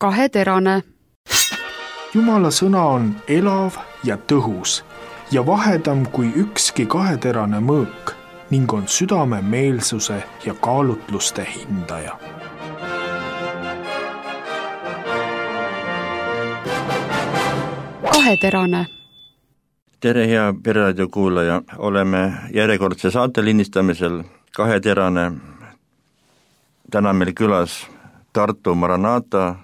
kaheterane. Jumala sõna on elav ja tõhus ja vahedam kui ükski kaheterane mõõk ning on südame meelsuse ja kaalutluste hindaja. Kaheterane. Tere, hea Pereraadio kuulaja, oleme järjekordse saate lindistamisel Kaheterane. Täna meil külas Tartu Maranata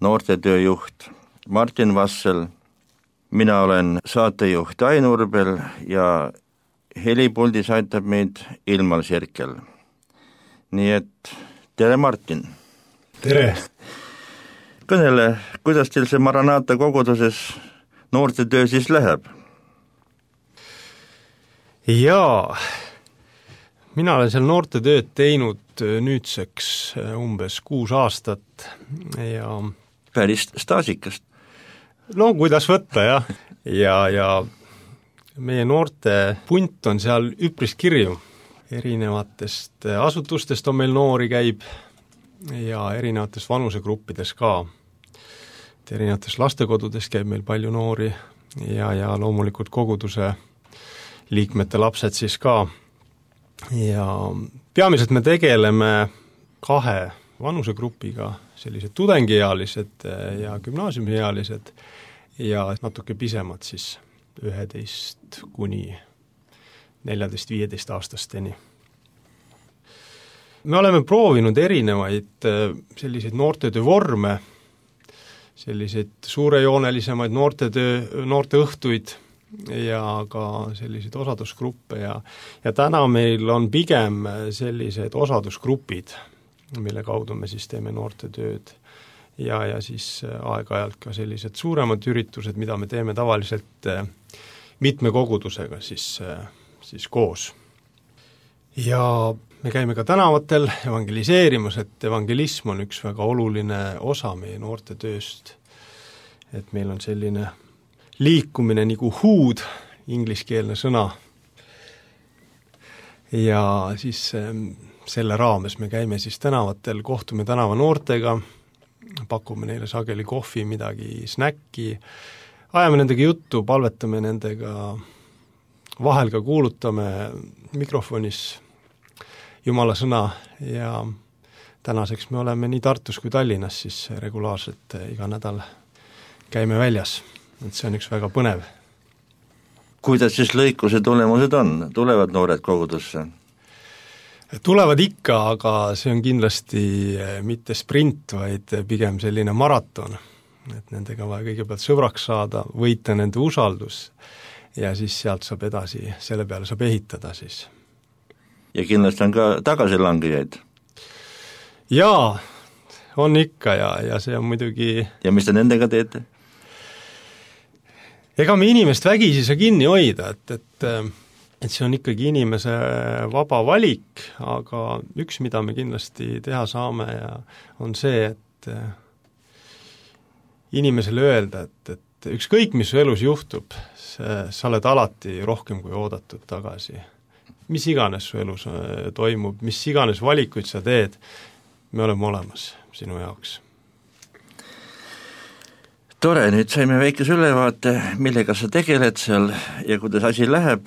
noortetööjuht Martin Vassel. Mina olen saatejuht Ain Urbel ja helipuldis aitab meid Ilmar Sirkel. Nii et tere, Martin! Tere! Kõnele, kuidas teil see Maranata koguduses noortetöö siis läheb? Jaa, mina olen seal noortetööd teinud nüüdseks umbes 6 aastat ja päris staasikast. No kuidas võtta, jah. Ja meie noorte punt on seal üpris kirju. Erinevatest asutustest on meil noori käib ja erinevatest vanusegruppides ka. Erinevates lastekodudes käib meil palju noori ja loomulikult koguduse liikmete lapsed siis ka. Ja peamiselt me tegeleme 2 vanusegrupiga, sellised tudengiealised ja gümnaasiumiealised ja natuke pisemad siis 11 kuni 14-15 aastasteni. Me oleme proovinud erinevaid selliseid noortetöö vorme, selliseid suurejoonelisemaid noorteõhtuid ja ka selliseid osadusgruppe ja täna meil on pigem sellised osadusgrupid, mille kaudu me siis teeme noortetööd ja siis aeg-ajalt ka sellised suuremad üritused, mida me teeme tavaliselt mitme kogudusega siis koos. Ja me käime ka tänavatel evangeliseerimas, et evangelism on üks väga oluline osa meie noortetööst, et meil on selline liikumine nagu huud, ingliskeelne sõna, ja siis selle raames me käime siis tänavatel, kohtume tänava noortega, pakume neile sageli kohvi, midagi snäkki, ajame nendega juttu, palvetame nendega, vahel ka kuulutame mikrofonis Jumala sõna ja tänaseks me oleme nii Tartus kui Tallinnas siis regulaarselt iga nädal käime väljas, et see on üks väga põnev. Kuidas siis lõikuse tulemused on? Tulevad noored kogudusse? Tulevad ikka, aga see on kindlasti mitte sprint, vaid pigem selline maraton, et nendega vaja kõigepealt sõbraks saada, võita nende usaldus ja siis sealt saab edasi, selle peale saab ehitada siis. Ja kindlasti on ka tagasilangejaid? Jaa, on ikka ja see on muidugi... Ja mis te nendega teete? Ega me inimest vägisi saa kinni hoida, et see on ikkagi inimese vaba valik, aga üks, mida me kindlasti teha saame ja on see, et inimesele öelda, et ükskõik, mis su elus juhtub, sa oled alati rohkem kui oodatud tagasi. Mis iganes su elus toimub, mis iganes valikuid sa teed, me oleme olemas sinu jaoks. Tore, nüüd saime väikese ülevaate, millega sa tegeled seal ja kuidas asi läheb,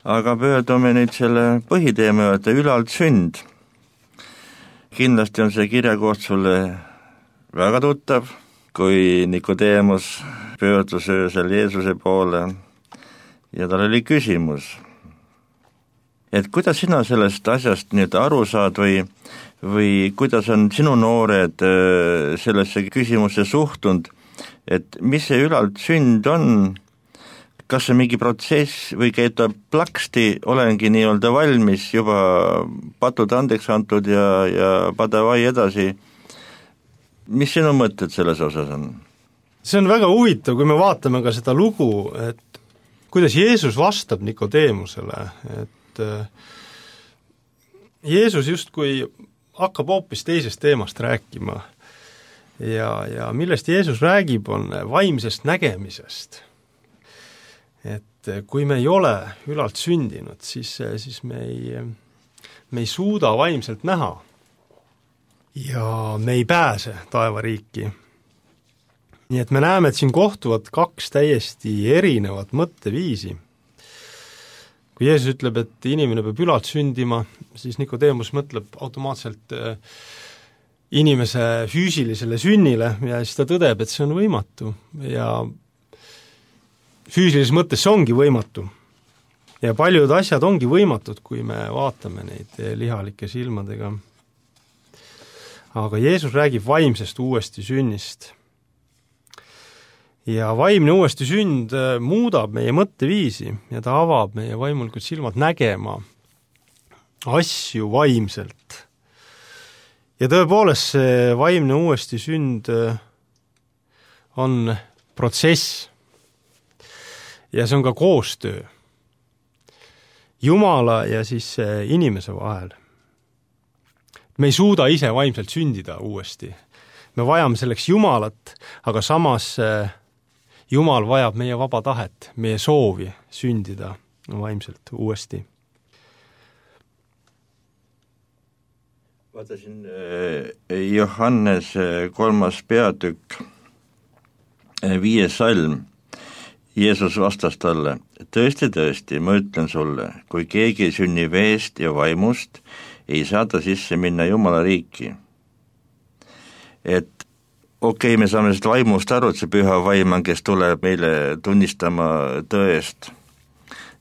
aga pöördume nüüd selle põhiteema juurde, ülalt sünd. Kindlasti on see kirjakoht sulle väga tuttav, kui Nikodeemus pöördus öösel Jeesuse poole ja tal oli küsimus, et kuidas sina sellest asjast nüüd aru saad või kuidas on sinu noored sellesse küsimusse suhtunud, et mis see ülalt sünd on, kas see mingi protsess või käib ta plaksti, olengi nii-öelda valmis, juba patud andeks antud ja padavai edasi. Mis sinu mõtted selles osas on? See on väga huvitav, kui me vaatame ka seda lugu, et kuidas Jeesus vastab Nikodeemusele, et Jeesus justkui hakkab hoopis teisest teemast rääkima ja millest Jeesus räägib, on vaimsest nägemisest. Et kui me ei ole ülalt sündinud, siis me ei suuda vaimselt näha ja me ei pääse taevariiki. nii et me näeme, et siin kohtuvad kaks täiesti erinevat mõtteviisi. Kui Jeesus ütleb, et inimene peab ülalt sündima, siis Nikodeemus mõtleb automaatselt inimese füüsilisele sünnile ja siis ta tõdeb, et see on võimatu ja füüsilises mõttes see ongi võimatu. Ja paljud asjad ongi võimatud, kui me vaatame neid lihalike silmadega. Aga Jeesus räägib vaimsest uuesti sünnist. Ja vaimne uuesti sünd muudab meie mõtteviisi ja ta avab meie vaimulikud silmad nägema asju vaimselt. Ja tõepoolest see vaimne uuesti sünd on protsess ja see on ka koostöö Jumala ja siis inimese vahel. Me ei suuda ise vaimselt sündida uuesti. Me vajame selleks Jumalat, aga samas Jumal vajab meie vaba tahet, meie soovi sündida vaimselt uuesti. Vaatasin Johannes 3. peatükk 5. salm. Jeesus vastas talle, tõesti, ma ütlen sulle, kui keegi sünni veest ja vaimust, ei saa ta sisse minna Jumala riiki. Et okei, me saame seda vaimust aru, et see püha vaim on, kes tuleb meile tunnistama tõest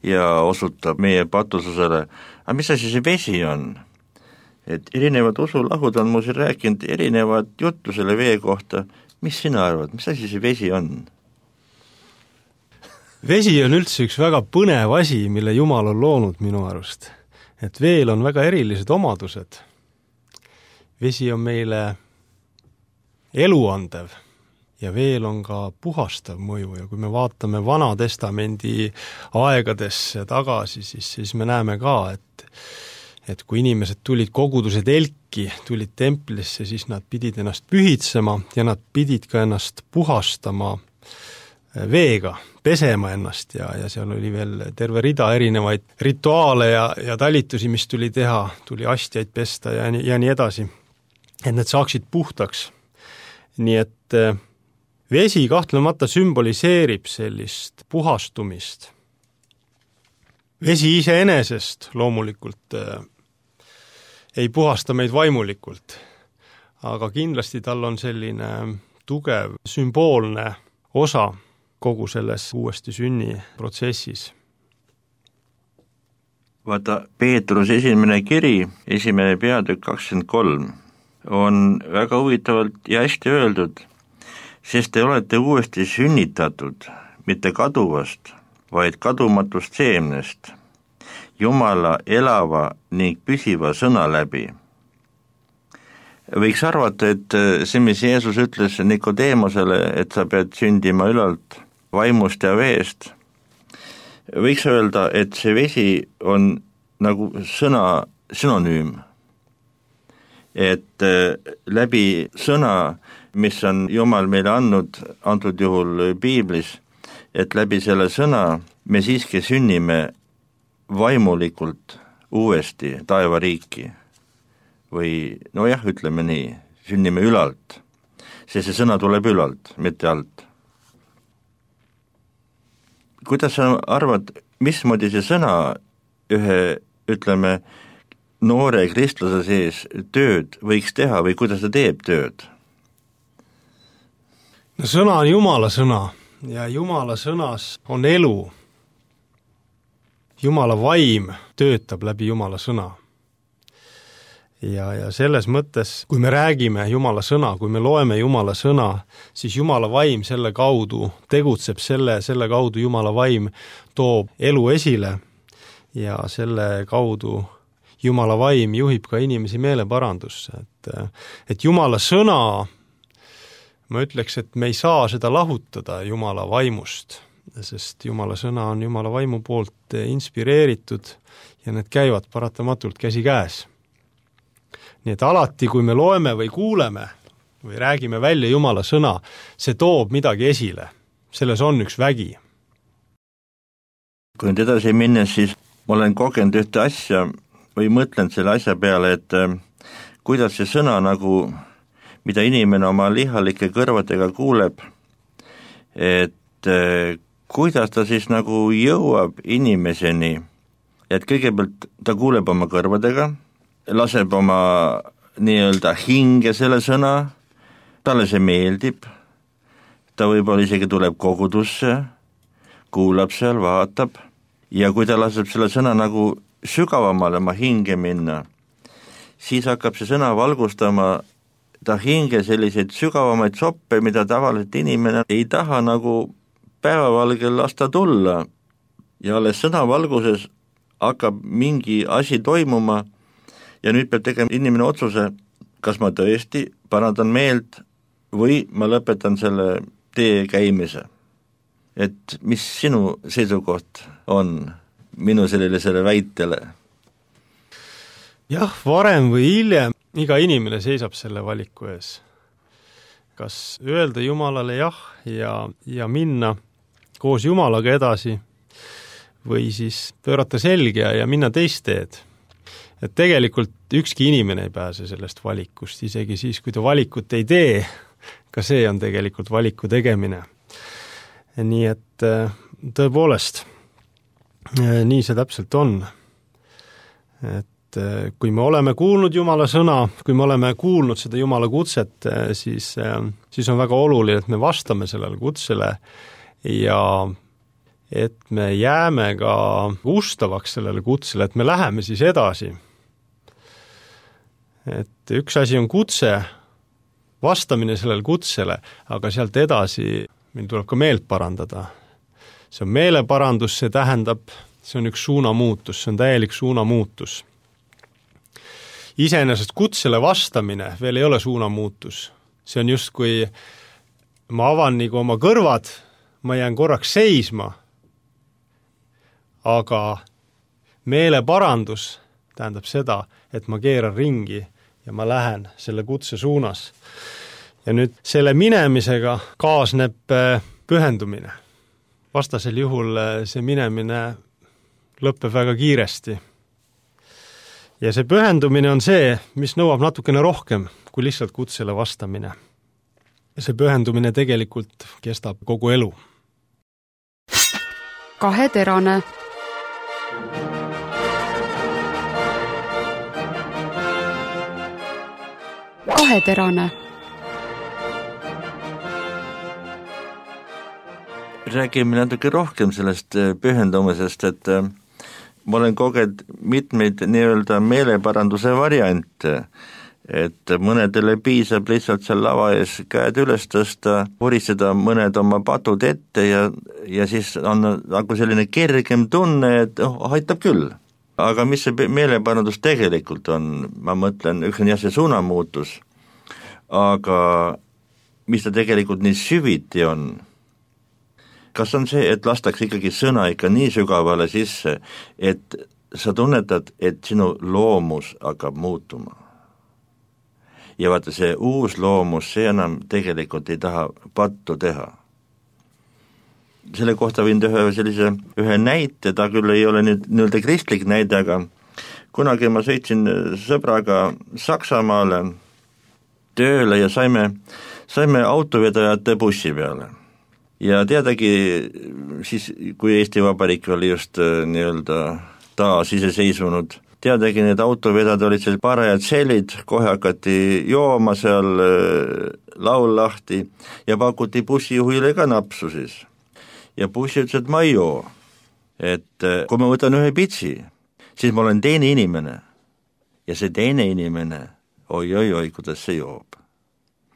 ja osutab meie patususele. Aga mis asi see vesi on? Et erinevad usulahud on mu siin rääkinud erinevad juttu selle vee kohta. Mis sina arvad, mis asi see vesi on? Vesi on üldse üks väga põnev asi, mille Jumal on loonud minu arust. Et veel on väga erilised omadused. Vesi on meile eluandev ja veel on ka puhastav mõju ja kui me vaatame Vana Testamendi aegadesse tagasi, siis me näeme ka, et kui inimesed tulid koguduse telki, tulid templisse, siis nad pidid ennast pühitsema ja nad pidid ka ennast puhastama veega, pesema ennast ja seal oli veel terve rida erinevaid rituaale ja talitusi, mis tuli teha, tuli astjaid pesta ja nii edasi, et need saaksid puhtaks. Nii et vesi kahtlemata sümboliseerib sellist puhastumist. Vesi iseenesest loomulikult ei puhasta meid vaimulikult, aga kindlasti tal on selline tugev sümboolne osa kogu selles uuesti sünni protsessis. Vaata, Peetrus esimene kiri, 1. peatükk 23, on väga huvitavalt ja hästi öeldud, sest te olete uuesti sünnitatud, mitte kaduvast, vaid kadumatust seemnest, Jumala elava ning püsiva sõna läbi. Võiks arvata, et see, mis Jeesus ütles Nikodeemosele, et sa pead sündima ülalt vaimust ja veest, võiks öelda, et see vesi on nagu sõna synonüüm. Et läbi sõna, mis on Jumal meile andnud, antud juhul Piiblis, et läbi selle sõna me siiski sünnime vaimulikult uuesti taevariiki. Või nojah, ütleme nii, sünnime ülalt, sest see sõna tuleb ülalt, mitte alt. Kuidas sa arvad, mismoodi see sõna ühe, ütleme, noore kristlase sees tööd võiks teha või kuidas ta teeb tööd? No sõna on Jumala sõna ja Jumala sõnas on elu. Jumala vaim töötab läbi Jumala sõna. Ja selles mõttes, kui me räägime Jumala sõna, kui me loeme Jumala sõna, siis Jumala vaim selle kaudu tegutseb, selle kaudu Jumala vaim toob elu esile ja selle kaudu Jumala vaim juhib ka inimesi meeleparandusse. Et Jumala sõna, ma ütleks, et me ei saa seda lahutada Jumala vaimust, sest Jumala sõna on Jumala vaimu poolt inspireeritud ja need käivad paratamatult käsi käes. Nii et alati, kui me loeme või kuuleme või räägime välja Jumala sõna, see toob midagi esile. Selles on üks vägi. Kui nüüd edasi minnes, siis ma olen kogenud ühte asja või mõtlen selle asja peale, et kuidas see sõna nagu, mida inimene oma lihalike kõrvadega kuuleb, et kuidas ta siis nagu jõuab inimeseni, et kõigepealt ta kuuleb oma kõrvadega, laseb oma nii-öelda hinge selle sõna, talle see meeldib, ta võib-olla isegi tuleb kogudusse, kuulab seal, vaatab ja kui ta laseb selle sõna nagu sügavamale oma hinge minna, siis hakkab see sõna valgustama ta hinge selliseid sügavamaid soppe, mida tavaliselt inimene ei taha nagu päevavalgel lasta tulla ja alles sõnavalguses hakkab mingi asi toimuma ja nüüd peab tegema inimene otsuse, kas ma tõesti parandan meelt või ma lõpetan selle tee käimise. Et mis sinu seisukoht on minu sellisele väitele? Jah, varem või hiljem iga inimene seisab selle valiku ees. Kas öelda Jumalale jah ja minna koos Jumalaga edasi või siis pöörata selge ja minna teist teed. Et tegelikult ükski inimene ei pääse sellest valikust, isegi siis, kui ta valikut ei tee, ka see on tegelikult valiku tegemine. Nii et tõepoolest, nii see täpselt on. Et kui me oleme kuulnud Jumala sõna, kui me oleme kuulnud seda Jumala kutset, siis on väga oluline, et me vastame sellele kutsele ja et me jääme ka ustavaks sellele kutsele, et me läheme siis edasi. Et üks asi on kutse, vastamine sellele kutsele, aga sealt edasi meil tuleb ka meelt parandada. See on meeleparandus, see tähendab, see on üks suunamuutus, see on täielik suunamuutus. Iseenesest kutsele vastamine veel ei ole suunamuutus. See on just, kui ma avan nagu oma kõrvad, ma jään korraks seisma, aga meeleparandus tähendab seda, et ma keeran ringi ja ma lähen selle kutse suunas. Ja nüüd selle minemisega kaasneb pühendumine. Vastasel juhul see minemine lõpeb väga kiiresti. Ja see pühendumine on see, mis nõuab natukene rohkem kui lihtsalt kutsele vastamine. Ja see pühendumine tegelikult kestab kogu elu. Kaheterane. Kaheterane. Räägime natuke rohkem sellest pühendumisest, et ma olen kogenud mitmeid nii-öelda meeleparanduse variante, et mõnedele piisab lihtsalt seal lava ees käed üles tõsta, vuristada mõned oma patud ette ja siis on nagu selline kergem tunne, et aitab küll. Aga mis see meeleparandus tegelikult on, ma mõtlen, üks on jah see suunamuutus, aga mis ta tegelikult nii süviti on? Kas on see, et lastakse ikkagi sõna ikka nii sügavale sisse, et sa tunnetad, et sinu loomus hakkab muutuma? Ja vaata, see uus loomus, see enam tegelikult ei taha pattu teha. Selle kohta võin teha ühe näite, ta küll ei ole nüüd kristlik näide, aga kunagi ma sõitsin sõbraga Saksamaale tööle ja saime autovedajate bussi peale. Ja teadagi, siis kui Eesti Vabariik oli just nii-öelda taas iseseisvunud, teadagi need autovedad olid seal parajad sellid, kohe hakati jooma seal laul lahti ja pakuti bussijuhile ka napsu siis. Ja bussi ütles, et ma ei joo. Et kui ma võtan ühe pitsi, siis ma olen teine inimene. Ja see teine inimene, oi, kuidas see joob.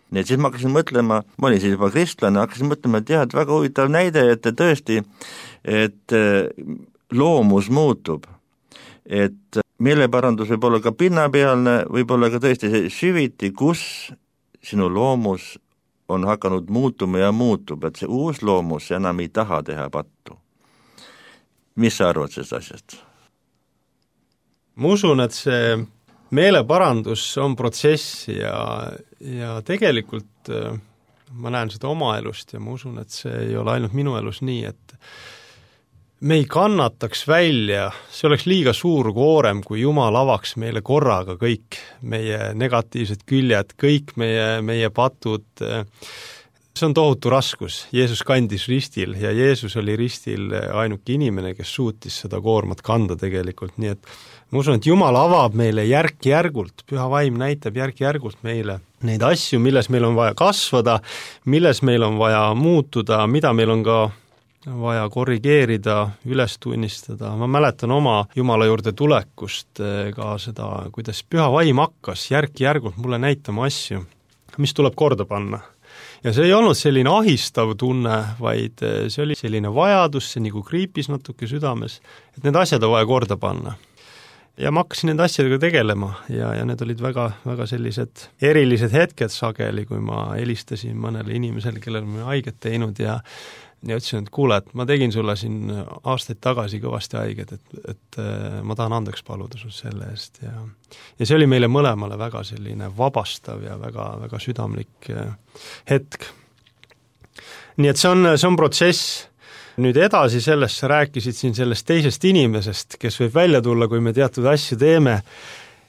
Nii et siis ma hakkasin mõtlema, ma olin siis juba kristlane, hakkasin mõtlema, et jah, et väga huvitav näide, et tõesti, et loomus muutub, et meeleparandus võib olla ka pinnapealne, võib olla ka tõesti see süviti, kus sinu loomus on hakanud muutuma ja muutub, et see uus loomus enam ei taha teha pattu. Mis sa arvad sellest asjast? Ma usun, et see meeleparandus on protsess ja tegelikult ma näen seda oma elust ja ma usun, et see ei ole ainult minu elus nii, et me ei kannataks välja, see oleks liiga suur koorem, kui Jumal avaks meile korraga kõik meie negatiivsed küljed, kõik meie patud. See on tohutu raskus. Jeesus kandis ristil ja Jeesus oli ristil ainuke inimene, kes suutis seda koormat kanda tegelikult. Nii et ma usun, et Jumal avab meile järk-järgult, Püha Vaim näitab järk-järgult meile neid asju, milles meil on vaja kasvada, milles meil on vaja muutuda, mida meil on ka vaja korrigeerida, üles tunnistada. Ma mäletan oma Jumala juurde tulekust ka seda, kuidas Püha Vaim hakkas järk-järgult mulle näitama asju, mis tuleb korda panna. Ja see ei olnud selline ahistav tunne, vaid see oli selline vajadus, see nagu kriipis natuke südames, et need asjad on vaja korda panna. Ja ma hakkasin nende asjadega tegelema ja need olid väga, väga sellised erilised hetked sageli, kui ma helistasin mõnele inimesele, kellel ma haiget teinud ja ütlesin, et kuule, et ma tegin sulle siin aastaid tagasi kõvasti haiget, et ma tahan andeks paluda sul selle eest ja see oli meile mõlemale väga selline vabastav ja väga, väga südamlik hetk. Nii et see on protsess. Nüüd edasi sellest sa rääkisid siin sellest teisest inimesest, kes võib välja tulla, kui me teatud asju teeme.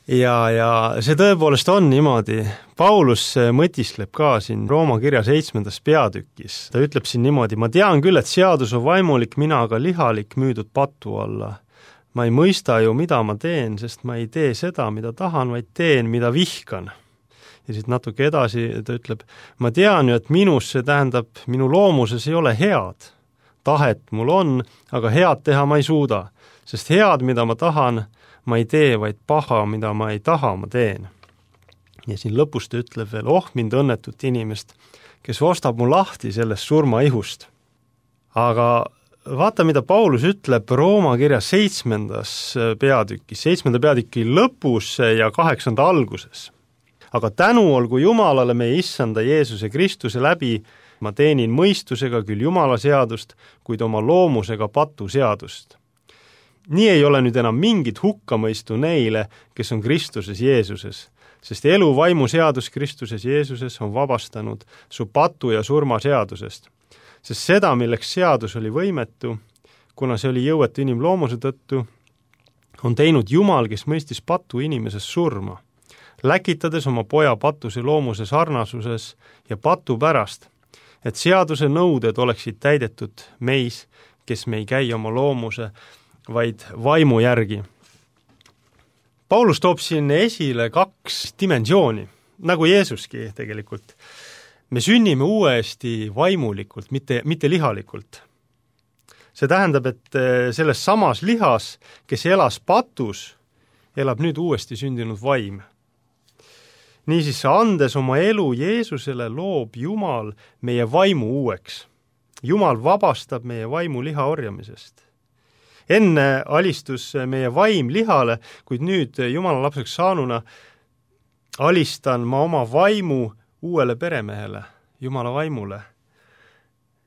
Ja see tõepoolest on niimoodi. Paulus mõtisleb ka siin Rooma kirja 7. peatükis. Ta ütleb siin niimoodi, ma tean küll, et seadus on vaimulik, mina aga lihalik müüdud patu alla. Ma ei mõista ju, mida ma teen, sest ma ei tee seda, mida tahan, vaid teen, mida vihkan. Ja siit natuke edasi ta ütleb, ma tean ju, et minus, see tähendab, minu loomuses ei ole head. Tahet mul on, aga head teha ma ei suuda, sest head, mida ma tahan, ma ei tee, vaid paha, mida ma ei taha, ma teen. Ja siin lõpus ta ütleb veel, mind õnnetut inimest, kes ostab mu lahti sellest surmaihust. Aga vaata, mida Paulus ütleb Rooma kirja 7. peatükis, 7. peatüki lõpus ja 8. alguses. Aga tänu olgu Jumalale meie issanda Jeesuse Kristuse läbi, ma teenin mõistusega küll Jumala seadust, kuid oma loomusega patu seadust. Nii ei ole nüüd enam mingit hukkamõistu neile, kes on Kristuses Jeesuses, sest elu vaimu seadus Kristuses Jeesuses on vabastanud su patu ja surma seadusest. Sest seda, milleks seadus oli võimetu, kuna see oli jõuetu inimloomuse tõttu, on teinud Jumal, kes mõistis patu inimeses surma, läkitades oma poja patuse loomuse sarnasuses ja patu pärast, et seaduse nõuded oleksid täidetud meis, kes me ei käi oma loomuse, vaid vaimu järgi. Paulus toob siin esile 2 dimensiooni, nagu Jeesuski tegelikult. Me sünnime uuesti vaimulikult, mitte lihalikult. See tähendab, et selles samas lihas, kes elas patus, elab nüüd uuesti sündinud vaim. Niisiis, andes oma elu Jeesusele, loob Jumal meie vaimu uueks. Jumal vabastab meie vaimu liha orjamisest. Enne alistus meie vaim lihale, kuid nüüd Jumala lapseks saanuna alistan ma oma vaimu uuele peremehele, Jumala vaimule.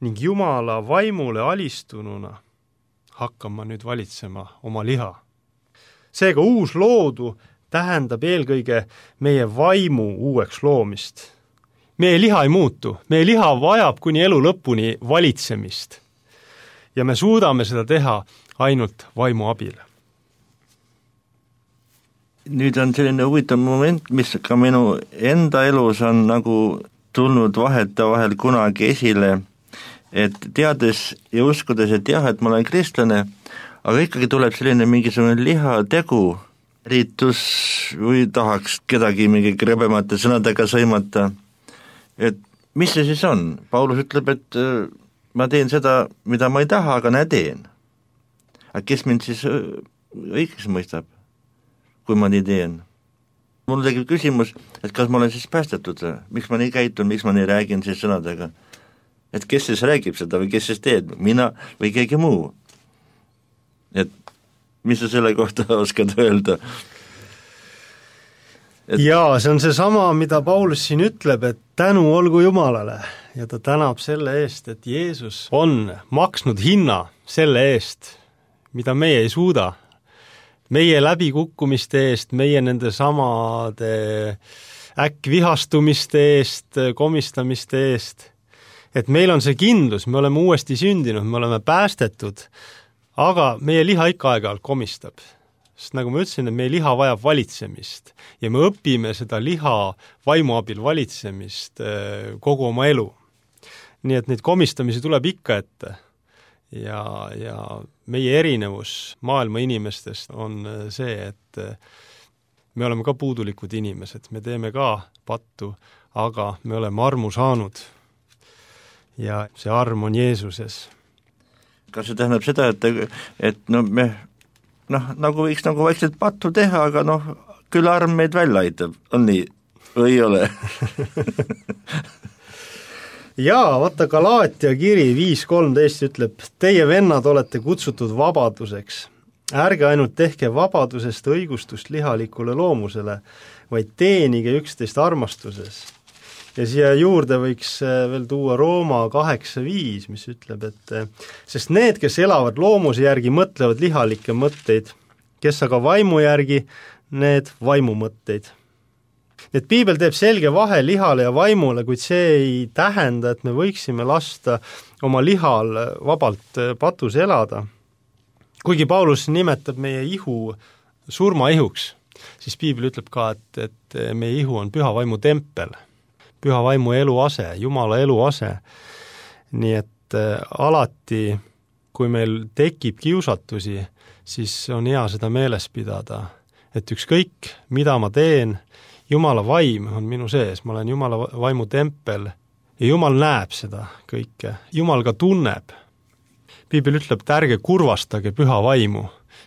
Ning Jumala vaimule alistununa hakkan ma nüüd valitsema oma liha. Seega uus loodu tähendab eelkõige meie vaimu uueks loomist. Meie liha ei muutu, meie liha vajab kuni elu lõpuni valitsemist. Ja me suudame seda teha ainult vaimu abil. Nüüd on selline huvitav moment, mis ka minu enda elus on nagu tulnud vahetevahel kunagi esile, et teades ja uskudes, et jah, et ma olen kristlane, aga ikkagi tuleb selline mingisugune lihategu, riitus või tahaks kedagi mingi krebemate sõnadega sõimata, et mis see siis on? Paulus ütleb, et ma teen seda, mida ma ei taha, aga näe teen. Aga kes mind siis õigeks mõistab, kui ma nii teen? Mul tekib küsimus, et kas ma olen siis päästetud, miks ma nii käitun, miks ma nii räägin siis sõnadega, et kes siis räägib seda või kes siis teed, mina või keegi muu. Et mis sa selle kohta oskad öelda? Jaa, see on see sama, mida Paulus siin ütleb, et tänu olgu Jumalale ja ta tänab selle eest, et Jeesus on maksnud hinna selle eest, mida meie ei suuda. Meie läbikukkumiste eest, meie nende samade äkkvihastumiste eest, komistamiste eest. Et meil on see kindlus, me oleme uuesti sündinud, me oleme päästetud, aga meie liha ikka aeg-ajalt komistab. Sest nagu ma ütlesin, et meie liha vajab valitsemist ja me õpime seda liha vaimu abil valitsemist kogu oma elu. nii et neid komistamisi tuleb ikka ette. Ja meie erinevus maailma inimestest on see, et me oleme ka puudulikud inimesed, me teeme ka pattu, aga me oleme armu saanud ja see arm on Jeesuses. Kas see tähendab seda, et me nagu võiks nagu vaikselt pattu teha, aga küll arm meid välja aitab, on nii või ei ole? Jaa, vaata Galaatia kiri 5.13 ütleb, teie vennad olete kutsutud vabaduseks. Ärge ainult tehke vabadusest õigustust lihalikule loomusele, vaid teenige üksteist armastuses. Ja siia juurde võiks veel tuua Rooma 8.5, mis ütleb, et sest need, kes elavad loomuse järgi, mõtlevad lihalikke mõtteid, kes aga vaimu järgi, need vaimu mõtteid. Et piibel teeb selge vahe lihale ja vaimule, kuid see ei tähenda, et me võiksime lasta oma lihal vabalt patus elada. Kuigi Paulus nimetab meie ihu surmaihuks, siis piibel ütleb ka, et meie ihu on püha vaimu tempel, püha vaimu eluase, Jumala eluase. Nii et alati, kui meil tekib kiusatusi, siis on hea seda meeles pidada, et ükskõik, mida ma teen, Jumala vaim on minu sees, ma olen Jumala vaimu tempel ja Jumal näeb seda kõike, Jumal ka tunneb. Piibel ütleb, et ärge kurvastage püha vaimu,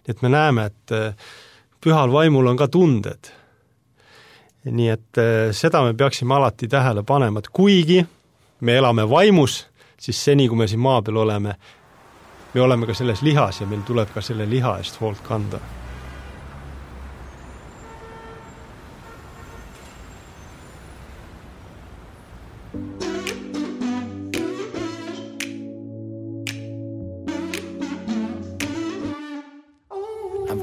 et me näeme, et pühal vaimul on ka tunded. Nii et seda me peaksime alati tähele panema, et kuigi me elame vaimus, siis seni, kui me siin maa peal oleme, me oleme ka selles lihas ja meil tuleb ka selle liha eest hoolt kanda.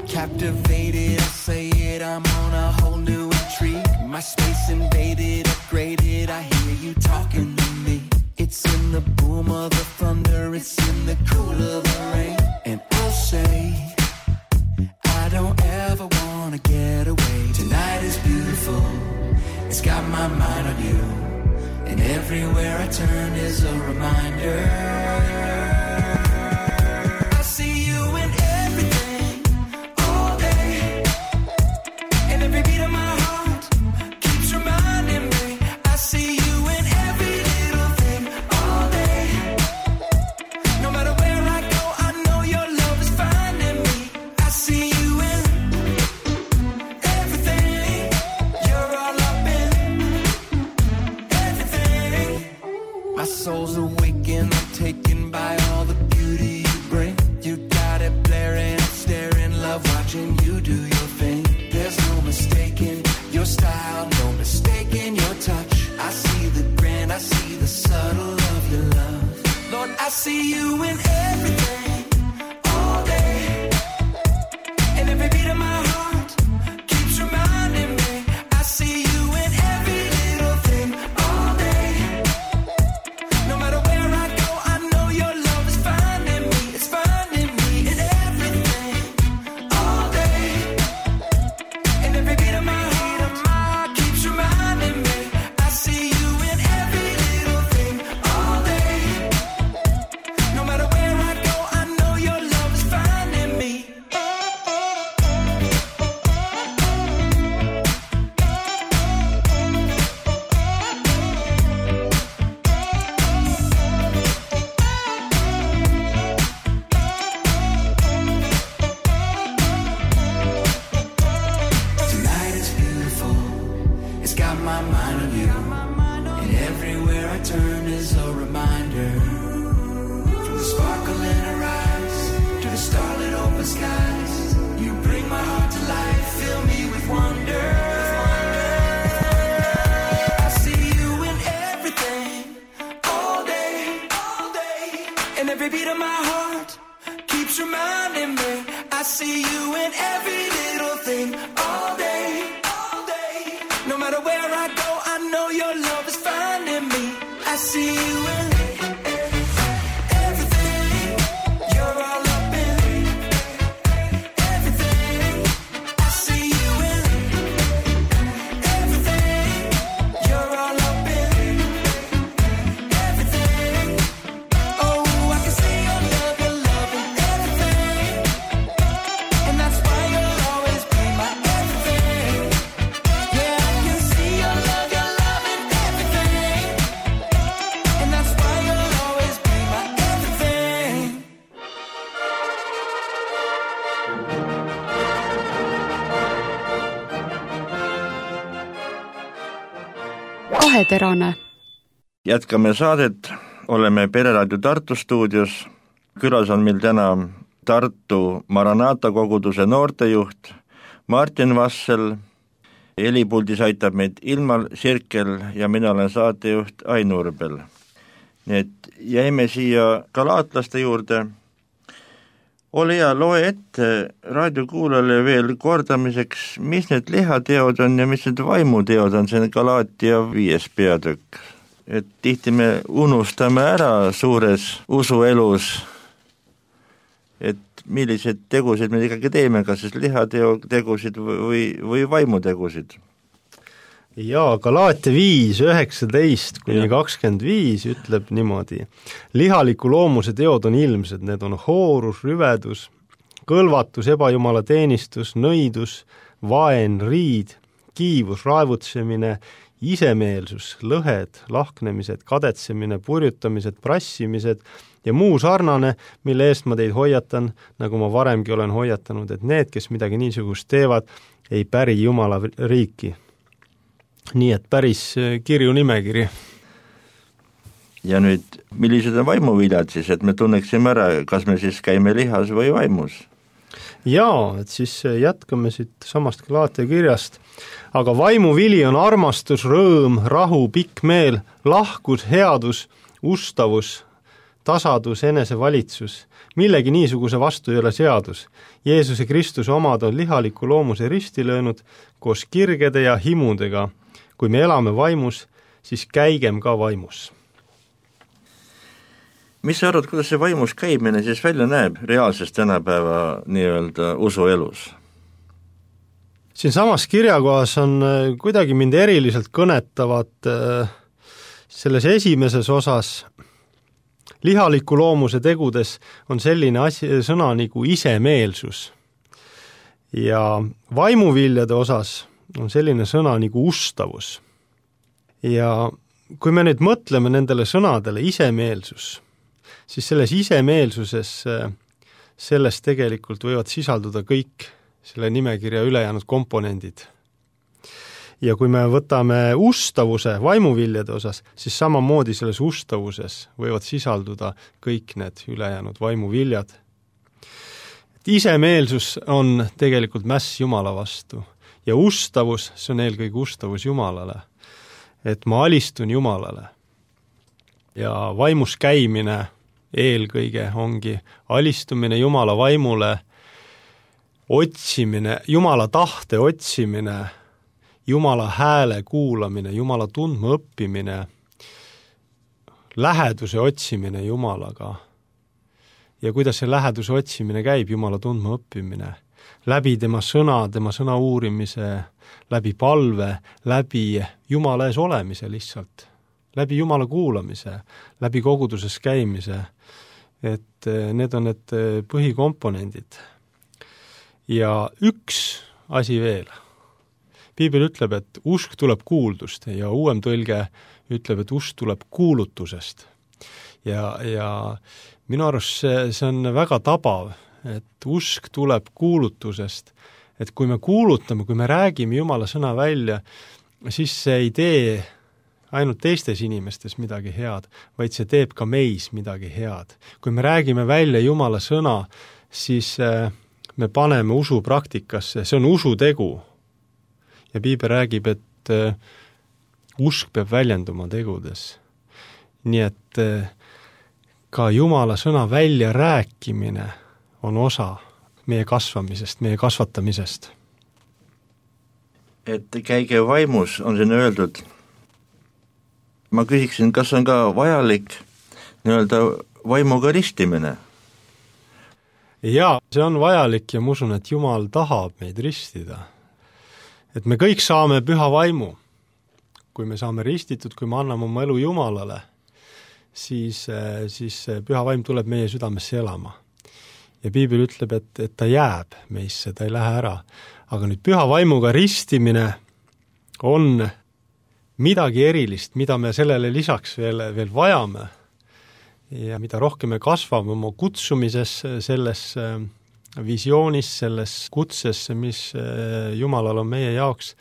Captivated, I say it, I'm on a whole new intrigue. My space invaded, upgraded, I hear you talking to me. It's in the boom of the thunder, it's in the cool of the rain. And I'll say, I don't ever want to get away. Tonight is beautiful, it's got my mind on you. And everywhere I turn is a reminder. Soul's awakened, I'm taken by all the beauty you bring. You got it blaring, staring, love watching you do your thing. There's no mistaking your style, no mistaking your touch. I see the grand, I see the subtle of your love. Lord, I see you in everything, all day. And every beat of my heart keeps reminding me. I see you in every little thing, all day. No matter where I go, I know your love is finding me. It's finding me in everything, all day. And every beat of my heart keeps reminding me. I see you in every little thing, all day. No matter where I go, I know your love is finding me. Tonight is beautiful, it's got my mind on you. And everywhere I turn is a reminder. From the sparkle in her eyes to the starlit open skies, you bring my heart to life, fill me with wonder. I see you in everything, all day, all day. And every beat of my heart keeps reminding me. I see you in every little thing, all day, all day. No matter where I go, I know your love is finding me. I see you in everything, you're all up in everything. I see you in everything, you're all up in everything. Kaheterane. Jätkame saadet, oleme Pereraadio Tartu stuudios. Külas on meil täna Tartu Maranata koguduse noortejuht Martin Vassel. Helipuldis aitab meid Ilmar Sirkel ja mina olen saatejuht Ain Urbel. Nii et jäime siia galaatlaste juurde. Ole hea, loe ette raadiokuulajale veel kordamiseks, mis need lihateod on ja mis need vaimuteod on, see on Galaatia 5. peatükk. Et tihti me unustame ära suures usuelus, et millised tegusid me ikkagi teeme, kas siis lihategusid või vaimutegusid. Jaa, Galaatia 5, 19 kuni 25 ütleb niimoodi. Lihaliku loomuse teod on ilmsed, need on hoorus, rüvedus, kõlvatus, ebajumala teenistus, nõidus, vaen, riid, kiivus, raevutsemine, isemeelsus, lõhed, lahknemised, kadetsemine, purjutamised, prassimised ja muu sarnane, mille eest ma teid hoiatan, nagu ma varemgi olen hoiatanud, et need, kes midagi niisugust teevad, ei päri Jumala riiki. Nii et päris kirju nimekiri. Ja nüüd, millised on vaimuviljad siis, et me tunneksime ära, kas me siis käime lihas või vaimus? Jaa, et siis jätkame siit samast Galaatia kirjast. Aga vaimuvili on armastus, rõõm, rahu, pikk meel, lahkus, headus, ustavus, tasadus, enesevalitsus. Millegi niisuguse vastu ei ole seadus. Jeesuse Kristuse omad on lihaliku loomuse risti löönud koos kirgede ja himudega. Kui me elame vaimus, siis käigem ka vaimus. Mis sa arvad, kuidas see vaimus käimine siis välja näeb reaalses tänapäeva nii-öelda usuelus? Siin samas kirjakohas on kuidagi mind eriliselt kõnetavad selles esimeses osas. Lihaliku loomuse tegudes on selline sõna nagu isemeelsus. Ja vaimuviljade osas on selline sõna nagu ustavus. Ja kui me nüüd mõtleme nendele sõnadele isemeelsus, siis selles isemeelsuses selles tegelikult võivad sisalduda kõik selle nimekirja ülejäänud komponendid. Ja kui me võtame ustavuse vaimuviljade osas, siis samamoodi selles ustavuses võivad sisalduda kõik need ülejäänud vaimuviljad. Isemeelsus on tegelikult mäss Jumala vastu ja ustavus, see on eelkõige ustavus Jumalale, et ma alistun Jumalale. Ja vaimus käimine eelkõige ongi alistumine Jumala vaimule, otsimine, Jumala tahte otsimine, Jumala hääle kuulamine, Jumala tundma õppimine, läheduse otsimine Jumalaga. Ja kuidas see läheduse otsimine käib, Jumala tundma õppimine? Läbi tema sõna uurimise, läbi palve, läbi Jumala ees olemise lihtsalt, läbi Jumala kuulamise, läbi koguduses käimise, et need on need põhikomponendid. Ja üks asi veel. Piibel ütleb, et usk tuleb kuuldust ja uuem tõlge ütleb, et usk tuleb kuulutusest. Ja minu arust see on väga tabav, et usk tuleb kuulutusest, et kui me kuulutame, kui me räägime Jumala sõna välja, siis see ei tee ainult teistes inimestes midagi head, vaid see teeb ka meis midagi head. Kui me räägime välja Jumala sõna, siis me paneme usu praktikasse, see on usutegu. Ja Piibel räägib, et usk peab väljenduma tegudes. Nii et ka Jumala sõna välja rääkimine on osa meie kasvamisest, meie kasvatamisest. Et käige vaimus, on siin öeldud. Ma küsiksin, kas on ka vajalik nii-öelda vaimuga ristimine? Jaa, see on vajalik ja ma usun, et Jumal tahab meid ristida. Et me kõik saame püha vaimu. Kui me saame ristitud, kui me anname oma elu Jumalale, siis püha vaim tuleb meie südamesse elama. Ja Piibel ütleb, et ta jääb meisse, ta ei lähe ära. Aga nüüd püha vaimuga ristimine on midagi erilist, mida me sellele lisaks veel vajame. Ja mida rohkem me kasvame oma kutsumises, selles visioonis, selles kutses, mis Jumalal on meie jaoks,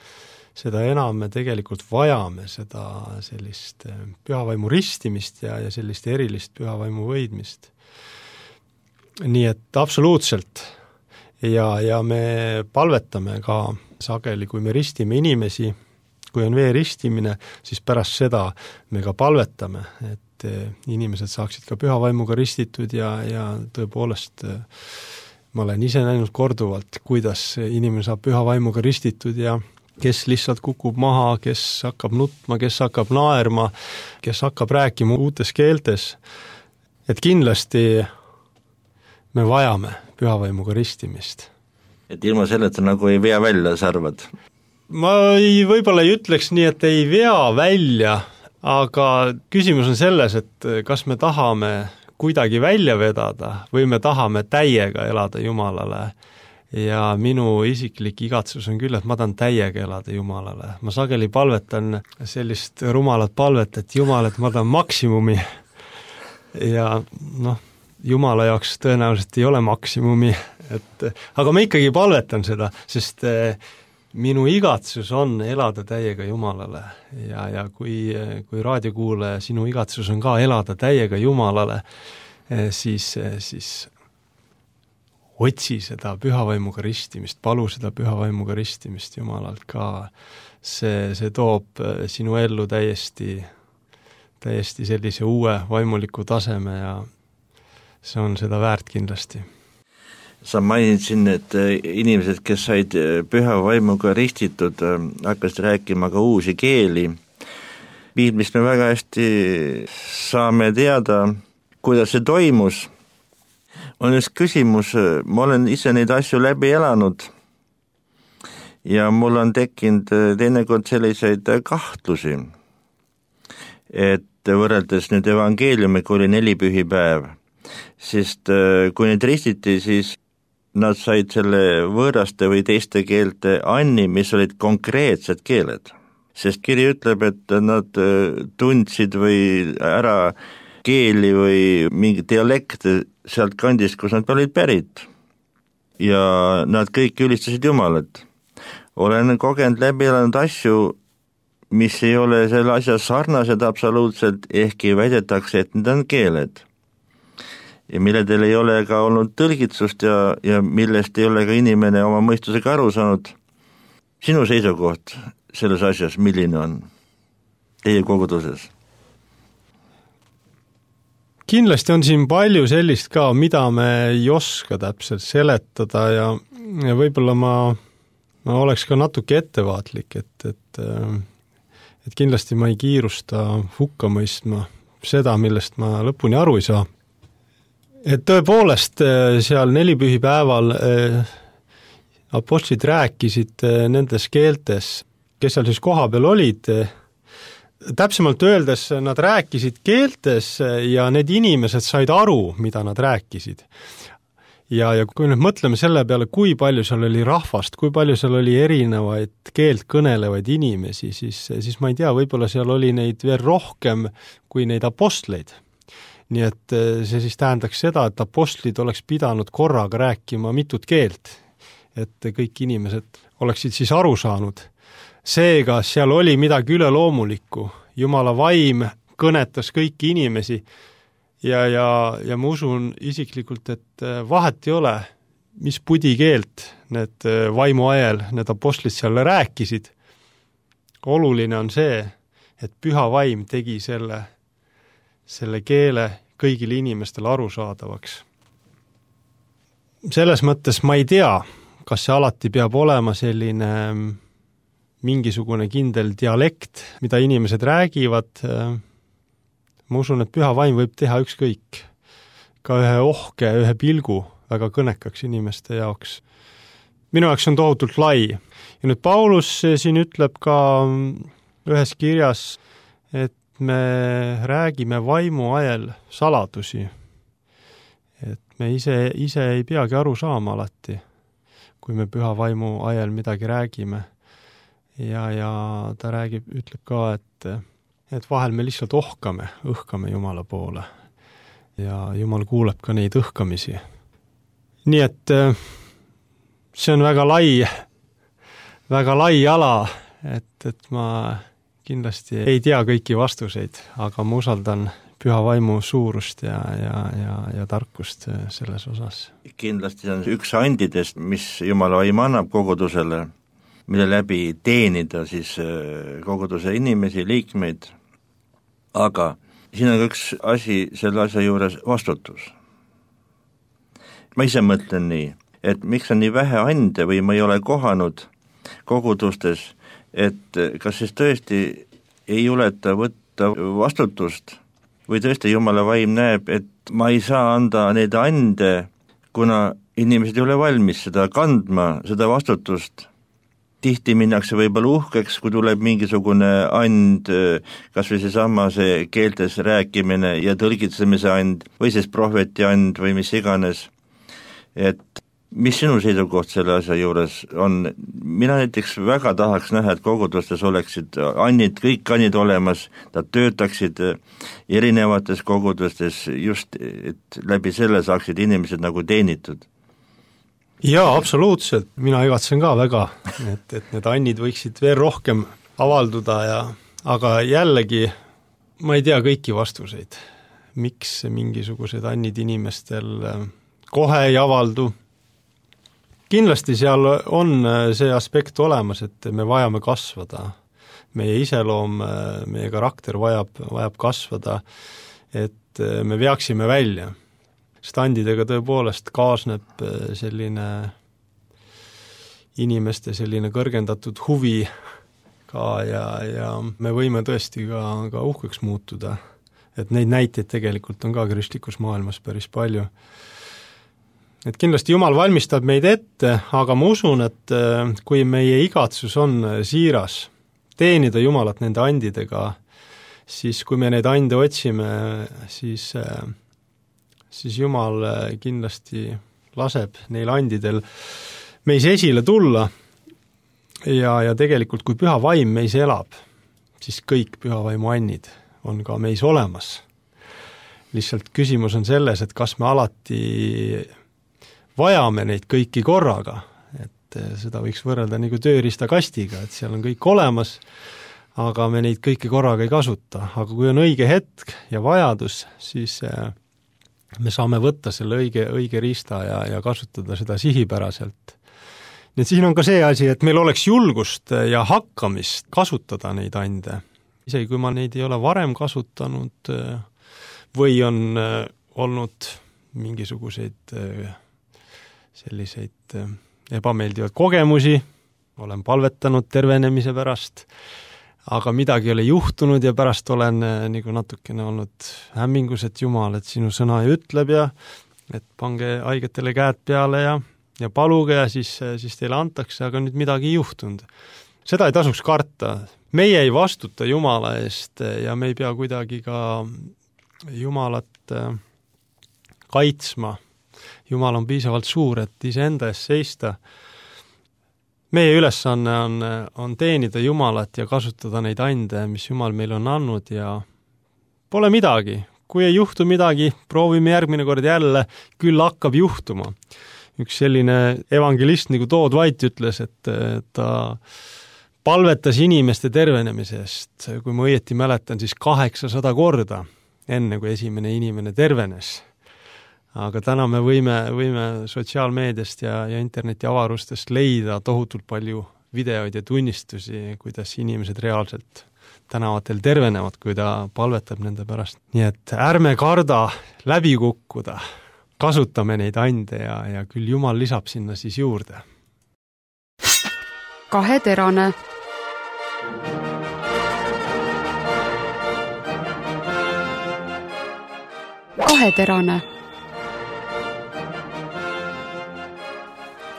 seda enam me tegelikult vajame seda sellist pühavaimu ristimist ja sellist erilist pühavaimu võidmist. Nii et absoluutselt. Ja me palvetame ka sageli, kui me ristime inimesi, kui on vee ristimine, siis pärast seda me ka palvetame, et inimesed saaksid ka pühavaimuga ristitud ja tõepoolest ma olen ise näinud korduvalt, kuidas inimene saab pühavaimuga ristitud ja kes lihtsalt kukub maha, kes hakkab nutma, kes hakkab naerma, kes hakkab rääkima uutes keeltes. Et kindlasti me vajame pühavaimuga ristimist. Et ilma selleta nagu ei vea välja, sa arvad? Ma võib-olla ei ütleks nii, et ei vea välja, aga küsimus on selles, et kas me tahame kuidagi välja vedada või me tahame täiega elada Jumalale. Ja minu isiklik igatsus on küll, et ma tahan täiega elada Jumalale. Ma sageli palvetan sellist rumalat palvet, et Jumal, et ma tahan maksimumi. Ja Jumala jaoks tõenäoliselt ei ole maksimumi, aga ma ikkagi palvetan seda, sest minu igatsus on elada täiega Jumalale ja kui raadiokuulaja, sinu igatsus on ka elada täiega Jumalale, siis otsi seda pühavaimuga ristimist, palu seda pühavaimuga ristimist Jumalalt ka. See toob sinu ellu täiesti sellise uue vaimuliku taseme ja see on seda väärt kindlasti. Sa mainisid, et inimesed, kes said püha vaimuga ristitud, hakkasid rääkima ka uusi keeli. Piiblist me väga hästi saame teada, kuidas see toimus. On just küsimus, ma olen ise neid asju läbi elanud ja mul on tekkinud teinekord selliseid kahtlusi, et võrreldes nüüd evangeeliumiga oli 4 pühipäev, sest kui neid ristiti, siis nad said selle võõraste või teiste keelte anni, mis olid konkreetsed keeled. Sest kiri ütleb, et nad tundsid või ära keeli või mingi dialekte sealt kandist, kus nad olid pärit. Ja nad kõik ülistasid Jumalat. Olen kogenud läbi elanud asju, mis ei ole selle asja sarnased absoluutselt, ehkki väidetakse, et need on keeled. Ja milledel ei ole ka olnud tõlgitsust ja millest ei ole ka inimene oma mõistusega aru saanud. Sinu seisukoht selles asjas, milline on teie koguduses? Kindlasti on siin palju sellist ka, mida me ei oska täpselt seletada ja võib-olla ma oleks ka natuke ettevaatlik, et kindlasti ma ei kiirusta hukka mõistma seda, millest ma lõpuni aru ei saa. Et tõepoolest seal 4 pühipäeval apostlid rääkisid nendes keeltes, kes seal siis koha peal olid. Täpsemalt öeldes nad rääkisid keeltes ja need inimesed said aru, mida nad rääkisid. Ja kui nüüd mõtleme selle peale, kui palju seal oli rahvast, kui palju seal oli erinevaid keelt kõnelevaid inimesi, siis ma ei tea, võib-olla seal oli neid veel rohkem kui neid apostleid. Nii et see siis tähendaks seda, et apostlid oleks pidanud korraga rääkima mitut keelt, et kõik inimesed oleksid siis aru saanud. Seega seal oli midagi üleloomulikku. Jumala vaim kõnetas kõiki inimesi ja ma usun isiklikult, et vahet ei ole, mis pudikeelt need vaimu ajal, need apostlid seal rääkisid. Oluline on see, et püha vaim tegi selle keele kõigile inimestele arusaadavaks. Selles mõttes ma ei tea, kas see alati peab olema selline mingisugune kindel dialekt, mida inimesed räägivad. Ma usun, et püha vaim võib teha ükskõik. Ka ühe ohke, ühe pilgu väga kõnekaks inimeste jaoks. Minu jaoks on tohutult lai. Ja nüüd Paulus siin ütleb ka ühes kirjas, et me räägime vaimu ajal saladusi. Et me ise ei peagi aru saama alati, kui me püha vaimu ajal midagi räägime. Ja ta ütleb ka, et vahel me lihtsalt õhkame Jumala poole. Ja Jumal kuuleb ka neid õhkamisi. Nii et see on väga lai ala et ma kindlasti ei tea kõiki vastuseid, aga ma usaldan püha vaimu suurust ja tarkust selles osas. Kindlasti on üks andidest, mis Jumala vaim annab kogudusele, mille läbi teenida siis koguduse inimesi, liikmeid, aga siin on üks asi selle asja juures vastutus. Ma ise mõtlen nii, et miks on nii vähe ande või ma ei ole kohanud kogudustes, et kas siis tõesti ei juleta võtta vastutust või tõesti Jumala vaim näeb, et ma ei saa anda neid ande, kuna inimesed ei ole valmis seda kandma, seda vastutust. Tihti minnakse võib-olla uhkeks, kui tuleb mingisugune and, kas või see keeltes rääkimine ja tõlgitsemise and või siis prohveti and või mis iganes. Et mis sinu seisukoht selle asja juures on? Mina näiteks väga tahaks näha, et kogudustes oleksid annid, kõik annid olemas, nad töötaksid erinevates kogudustes just, et läbi selle saaksid inimesed nagu teenitud. Jaa, absoluutselt. Mina igatsen ka väga, et need annid võiksid veel rohkem avalduda, aga jällegi ma ei tea kõiki vastuseid. Miks mingisugused annid inimestel kohe ei avaldu? Kindlasti seal on see aspekt olemas, et me vajame kasvada. Meie iseloom, meie karakter vajab kasvada, et me veaksime välja. Standidega tõepoolest kaasneb selline inimeste selline kõrgendatud huvi ka ja me võime tõesti ka uhkeks muutuda. Et neid näiteid tegelikult on ka kristlikus maailmas päris palju. Et kindlasti Jumal valmistab meid ette, aga ma usun, et kui meie igatsus on siiras teenida Jumalat nende andidega, siis kui me neid ande otsime, siis Jumal kindlasti laseb neil andidel meis esile tulla ja tegelikult kui püha vaim meis elab, siis kõik püha vaimu annid on ka meis olemas. Lihtsalt küsimus on selles, et kas me alati vajame neid kõiki korraga, et seda võiks võrrelda nagu tööriistakastiga, et seal on kõik olemas, aga me neid kõiki korraga ei kasuta. Aga kui on õige hetk ja vajadus, siis me saame võtta selle õige riista ja kasutada seda sihipäraselt. Nii et siin on ka see asi, et meil oleks julgust ja hakkamist kasutada neid ande. Isegi kui ma neid ei ole varem kasutanud või on olnud mingisuguseid selliseid ebameeldivad kogemusi, olen palvetanud tervenemise pärast, aga midagi ei ole juhtunud ja pärast olen nagu natukene olnud hämmingus, et Jumal, et sinu sõna ütleb ja et pange haigetele käed peale ja paluge ja siis teile antakse, aga nüüd midagi ei juhtunud. Seda ei tasuks karta. Meie ei vastuta Jumala eest ja me ei pea kuidagi ka Jumalat kaitsma. Jumal on piisavalt suur, et iseenda eest seista. Meie ülesanne on teenida Jumalat ja kasutada neid ande, mis Jumal meil on andnud ja pole midagi. Kui ei juhtu midagi, proovime järgmine kord jälle, küll hakkab juhtuma. Üks selline evangelist nagu Todd White ütles, et ta palvetas inimeste tervenemise eest, kui ma õieti mäletan, siis 800 korda, enne kui esimene inimene tervenes. Aga täna me võime sotsiaalmeediast ja interneti avarustest leida tohutult palju videoid ja tunnistusi, kuidas inimesed reaalselt tänavatel tervenevad, kui ta palvetab nende pärast. Nii et ärme karda läbi kukkuda, kasutame neid ande ja küll Jumal lisab sinna siis juurde. Kaheterane. Kaheterane.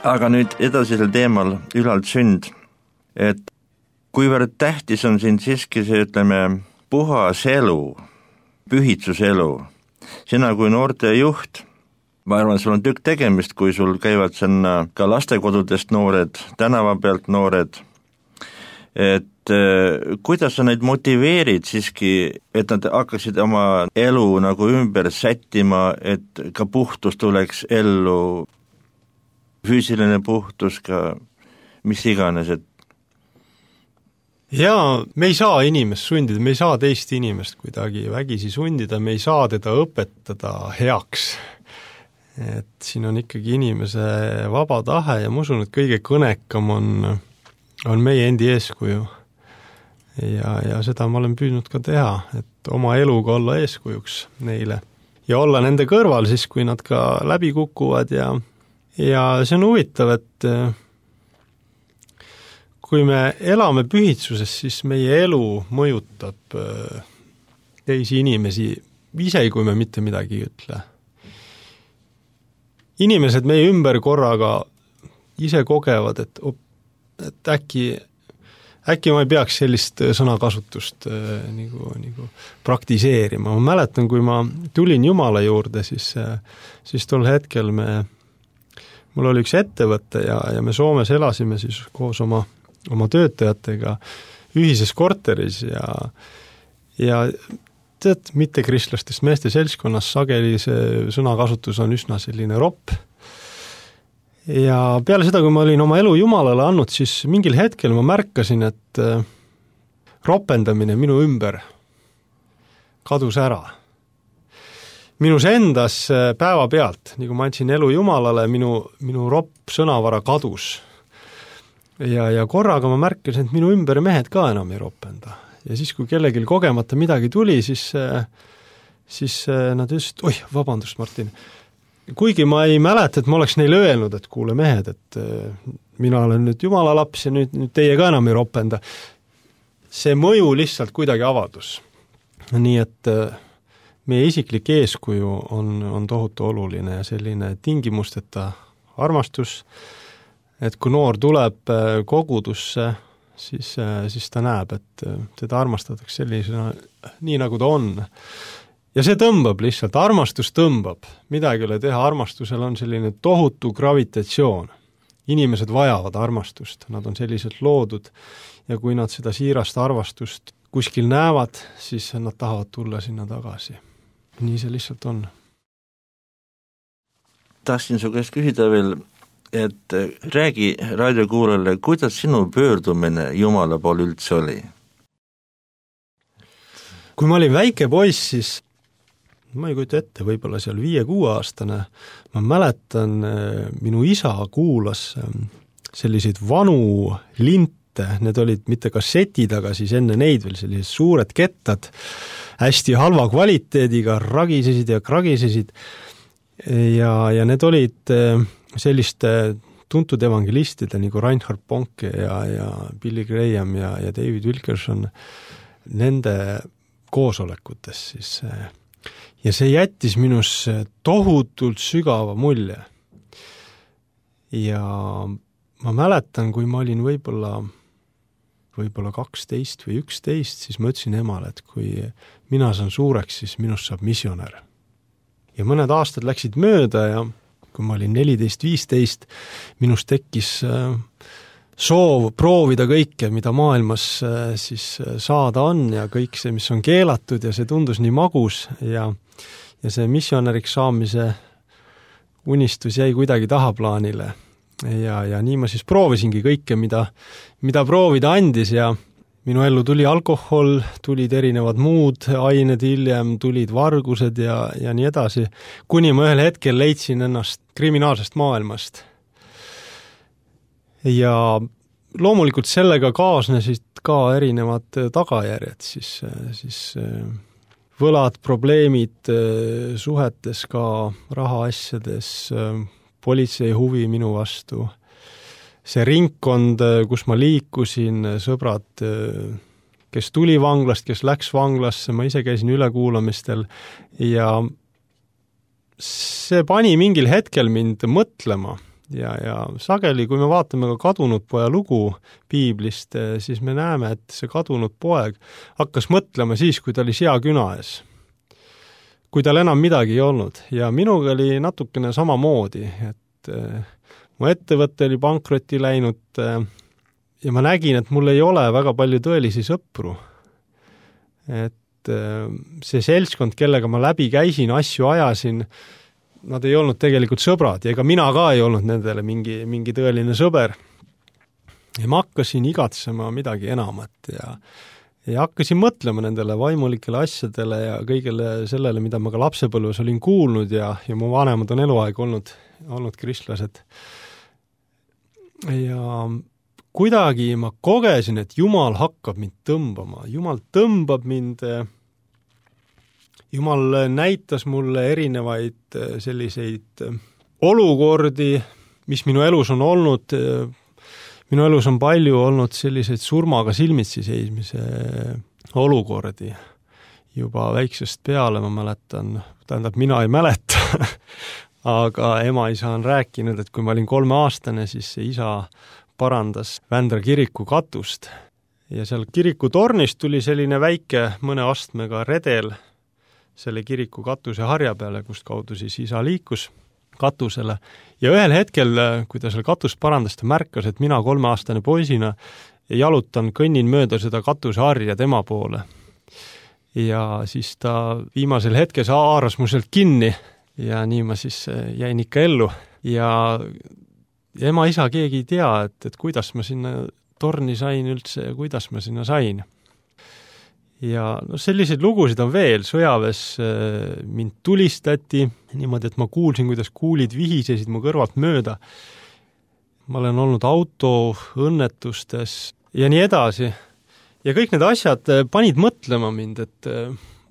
Aga nüüd edasisel teemal ülalt sünd, et kuivõrd tähtis on siin siiski see, ütleme, puhas elu, pühitsuselu. Sina kui noorte juht, ma arvan, sul on tükk tegemist, kui sul käivad sinna ka lastekodudest noored, tänava pealt noored, et kuidas sa neid motiveerid siiski, et nad hakkaksid oma elu nagu ümber sättima, et ka puhtus tuleks ellu, füüsiline puhtus ka, mis iganes, et Jaa, me ei saa inimest sundida, me ei saa teist inimest kuidagi vägisi sundida, me ei saa teda õpetada heaks. Et siin on ikkagi inimese vaba tahe ja ma usun, et kõige kõnekam on meie endi eeskuju. Ja seda ma olen püüdnud ka teha, et oma eluga olla eeskujuks neile. Ja olla nende kõrval siis, kui nad ka läbi kukuvad ja see on huvitav, et kui me elame pühitsuses, siis meie elu mõjutab teisi inimesi, isegi kui me mitte midagi ei ütle. Inimesed meie ümber korraga ise kogevad, et äkki ma ei peaks sellist sõnakasutust nagu praktiseerima. Ma mäletan, kui ma tulin Jumala juurde, siis tol hetkel mul oli üks ettevõte ja me Soomes elasime siis koos oma töötajatega ühises korteris ja tead, mitte kristlastest meeste seltskonnas sageli see sõnakasutus on üsna selline ropp. Ja peale seda, kui ma olin oma elu Jumalale andnud, siis mingil hetkel ma märkasin, et ropendamine minu ümber kadus ära. Minus endas päeva pealt, nii kui ma andsin elu Jumalale, minu ropp sõnavara kadus. Ja korraga ma märkasin, et minu ümber mehed ka enam ei ropenda. Ja siis, kui kellelgi kogemata midagi tuli, siis nad ütlesid, oi, vabandust, Martin. Kuigi ma ei mäleta, et ma oleks neile öelnud, et kuule mehed, et mina olen nüüd Jumala laps ja nüüd teie ka enam ei ropenda. See mõju lihtsalt kuidagi avaldus. Nii et meie isiklik eeskuju on tohutu oluline ja selline tingimusteta armastus, et kui noor tuleb kogudusse, siis ta näeb, et teda armastatakse sellisena, nii nagu ta on. Ja see tõmbab lihtsalt, armastus tõmbab. Midagi ei ole teha, armastusel on selline tohutu gravitatsioon. Inimesed vajavad armastust, nad on selliselt loodud ja kui nad seda siirast armastust kuskil näevad, siis nad tahavad tulla sinna tagasi. Nii see lihtsalt on. Tahtsin su käest küsida veel, et räägi raadiokuulajale, kuidas sinu pöördumine Jumala poole üldse oli? Kui ma olin väike poiss, siis ma ei kujuta ette, võib-olla seal 5-6 aastane, ma mäletan, minu isa kuulas selliseid vanu linte, need olid mitte kassetid, aga siis enne neid veel sellised suured kettad, hästi halva kvaliteediga, ragisesid ja kragisesid ja need olid selliste tuntud evangelistide nagu Reinhard Bonke ja Billy Graham ja David Wilkerson nende koosolekutes siis. Ja see jättis minus tohutult sügava mulje. Ja ma mäletan, kui ma olin võib-olla 12 või 11, siis ma ütlesin emale, et kui mina saan suureks, siis minust saab missionär. Ja mõned aastad läksid mööda ja kui ma olin 14-15, minus tekkis soov proovida kõike, mida maailmas siis saada on ja kõik see, mis on keelatud ja see tundus nii magus ja see missionäriks saamise unistus jäi kuidagi tahaplaanile ja nii ma siis proovisingi kõike, mida proovida andis ja minu ellu tuli alkohol, tulid erinevad muud ained hiljem, tulid vargused ja nii edasi, kuni ma ühel hetkel leidsin ennast kriminaalsest maailmast. Ja loomulikult sellega kaasnesid ka erinevad tagajärjed, siis võlad, probleemid suhetes ka rahaasjades, politsei huvi minu vastu, see ringkond, kus ma liikusin, sõbrad, kes tuli vanglast, kes läks vanglasse, ma ise käisin ülekuulamistel ja see pani mingil hetkel mind mõtlema ja sageli, kui me vaatame ka kadunud poja lugu piiblist, siis me näeme, et see kadunud poeg hakkas mõtlema siis, kui ta oli seaküna ees. Kui tal enam midagi ei olnud ja minuga oli natukene samamoodi, et mu ettevõte oli pankrotti läinud ja ma nägin, et mul ei ole väga palju tõelisi sõpru. Et see seltskond, kellega ma läbi käisin, asju ajasin, nad ei olnud tegelikult sõbrad ja ega mina ka ei olnud nendele mingi tõeline sõber. ja ma hakkasin igatsema midagi enamat ja hakkasin mõtlema nendele vaimulikele asjadele ja kõigele sellele, mida ma ka lapsepõlves olin kuulnud ja mu vanemad on eluaeg olnud kristlased. Ja kuidagi ma kogesin, et Jumal hakkab mind tõmbama. Jumal tõmbab mind, Jumal näitas mulle erinevaid selliseid olukordi, mis minu elus on olnud. Minu elus on palju olnud selliseid surmaga silmitsi seismise olukordi. Juba väiksest peale ma mäletan, tähendab mina ei mäleta, aga ema-isa on rääkinud, et kui ma olin 3-aastane, siis see isa parandas Vändra kiriku katust. Ja seal kiriku tornist tuli selline väike mõne astmega redel selle kiriku katuse harja peale, kust kaudu siis isa liikus katusele. Ja ühel hetkel, kui ta seal katust parandas, ta märkas, et mina 3-aastane poisina jalutan, kõnnin mööda seda katuse harja tema poole. Ja siis ta viimasel hetkel haaras mu sealt kinni ja nii ma siis jäin ikka ellu. Ja ema-isa keegi ei tea, et kuidas ma sinna torni sain üldse ja kuidas ma sinna sain. Ja selliseid lugusid on veel, sõjaväes mind tulistati, niimoodi, et ma kuulsin, kuidas kuulid vihisesid mu kõrvalt mööda. Ma olen olnud autoõnnetustes ja nii edasi. Ja kõik need asjad panid mõtlema mind, et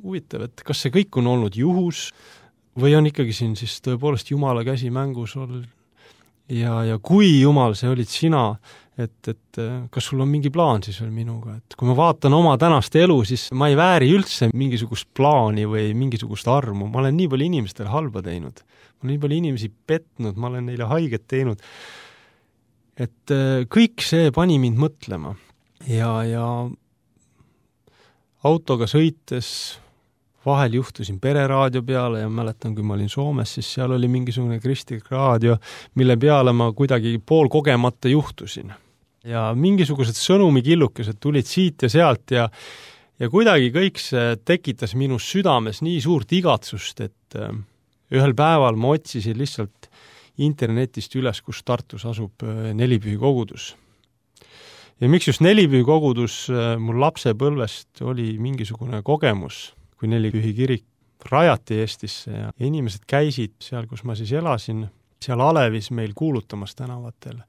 huvitav, et kas see kõik on olnud juhus või on ikkagi siin siis tõepoolest Jumala käsi mängus olnud. Ja kui Jumal, see olid sina, et kas sul on mingi plaan siis veel minuga, et kui ma vaatan oma tänast elu, siis ma ei vääri üldse mingisugust plaani või mingisugust armu, ma olen nii palju inimestele halba teinud, ma olen nii palju inimesi petnud, ma olen neile haiget teinud, et kõik see pani mind mõtlema ja autoga sõites vahel juhtusin pereraadio peale ja mäletan, kui ma olin Soomes, siis seal oli mingisugune kristlik raadio, mille peale ma kuidagi poolkogemata juhtusin. Ja mingisugused sõnumikillukesed tulid siit ja sealt ja kuidagi kõik see tekitas minus südames nii suurt igatsust, et ühel päeval ma otsisin lihtsalt internetist üles, kus Tartus asub Nelipühi kogudus. Ja miks just Nelipühi kogudus mul lapsepõlvest oli mingisugune kogemus, kui Nelipühi kirik rajati Eestisse ja inimesed käisid seal, kus ma siis elasin, seal Alevis meil kuulutamas tänavatel.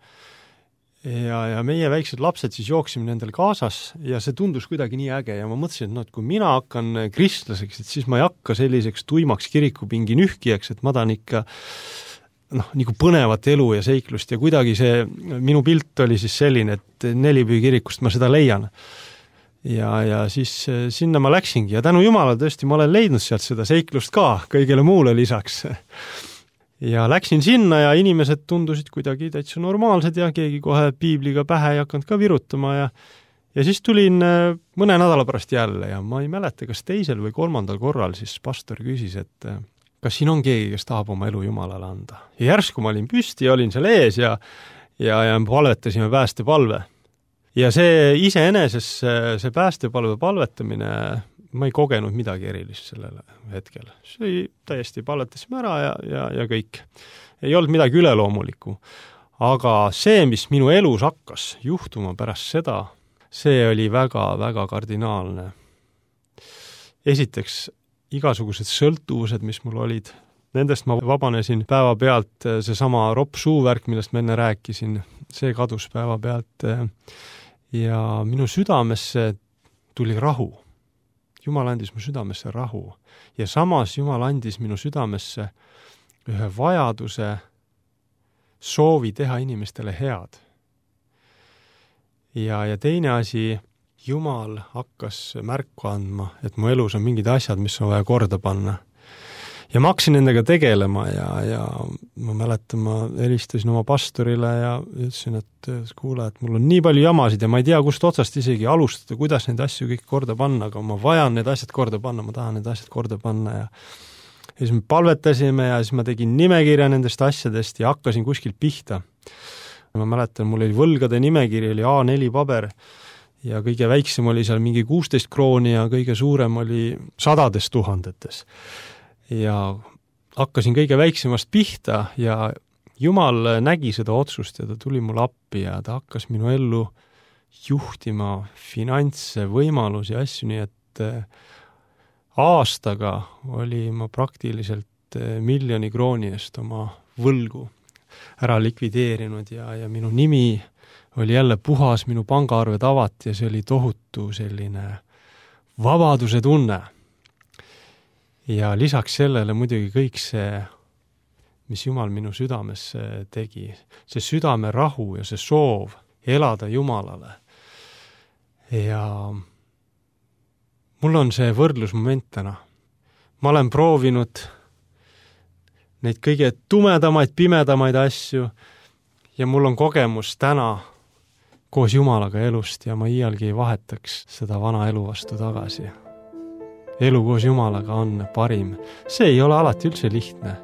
Ja meie väiksed lapsed siis jooksime nendel kaasas ja see tundus kuidagi nii äge ja ma mõtlesin, et kui mina hakkan kristlaseks, et siis ma ei hakka selliseks tuimaks kirikupingi nühkijaks, et ma tahan ikka nagu põnevat elu ja seiklust ja kuidagi see minu pilt oli siis selline, et Nelipühi kirikust ma seda leian. Ja siis sinna ma läksingi ja tänu Jumala tõesti ma olen leidnud sealt seda seiklust ka kõigele muule lisaks. Ja läksin sinna ja inimesed tundusid kuidagi täitsa normaalsed ja keegi kohe piibliga pähe ei hakanud ka virutama ja siis tulin mõne nädala pärast jälle ja ma ei mäleta, kas teisel või 3. korral siis pastor küsis, et kas siin on keegi, kes tahab oma elu Jumalale anda. Ja järsku ma olin püsti ja olin seal ees ja palvetasime päästepalve. Ja see iseeneses, see päästepalve palvetamine, ma ei kogenud midagi erilist sellele hetkel. See oli täiesti palvetasime ära ja kõik. Ei olnud midagi üleloomulikku. Aga see, mis minu elus hakkas juhtuma pärast seda, see oli väga-väga kardinaalne. Esiteks, igasugused sõltuvused, mis mul olid, nendest ma vabanesin päeva pealt, seesama ropp suuvärk, millest ma enne rääkisin, see kadus päeva pealt ja minu südamesse tuli rahu. Jumal andis mu südamesse rahu ja samas Jumal andis minu südamesse ühe vajaduse soovi teha inimestele head. Ja teine asi, Jumal hakkas märku andma, et mu elus on mingid asjad, mis on vaja korda panna. Ja ma hakkasin nendega tegelema ja ma mäletan, ma helistasin oma pastorile ja ütlesin, et kuule, et mul on nii palju jamasid ja ma ei tea, kust otsast isegi alustada, kuidas neid asju kõik korda panna, aga ma vajan need asjad korda panna, ma tahan need asjad korda panna ja siis me palvetasime ja siis ma tegin nimekirja nendest asjadest ja hakkasin kuskilt pihta. Ma mäletan, mul oli võlgade nimekiri, oli A4 paber ja kõige väiksem oli seal mingi 16 krooni ja kõige suurem oli 100 000. Ja hakkasin kõige väiksemast pihta ja Jumal nägi seda otsust ja ta tuli mulle appi ja ta hakkas minu ellu juhtima finantse, võimalusi ja asju, nii et aastaga oli ma praktiliselt 1 miljoni krooni eest oma võlgu ära likvideerinud ja minu nimi oli jälle puhas, minu pangaarved avati ja see oli tohutu selline vabaduse tunne. Ja lisaks sellele muidugi kõik see, mis Jumal minu südamesse tegi, see südame rahu ja see soov elada Jumalale. Ja mul on see võrdlusmoment täna. Ma olen proovinud neid kõige tumedamaid, pimedamaid asju ja mul on kogemus täna koos Jumalaga elust ja ma iialgi ei vahetaks seda vana elu vastu tagasi. Elu koos Jumalaga on parim. See ei ole alati üldse lihtne,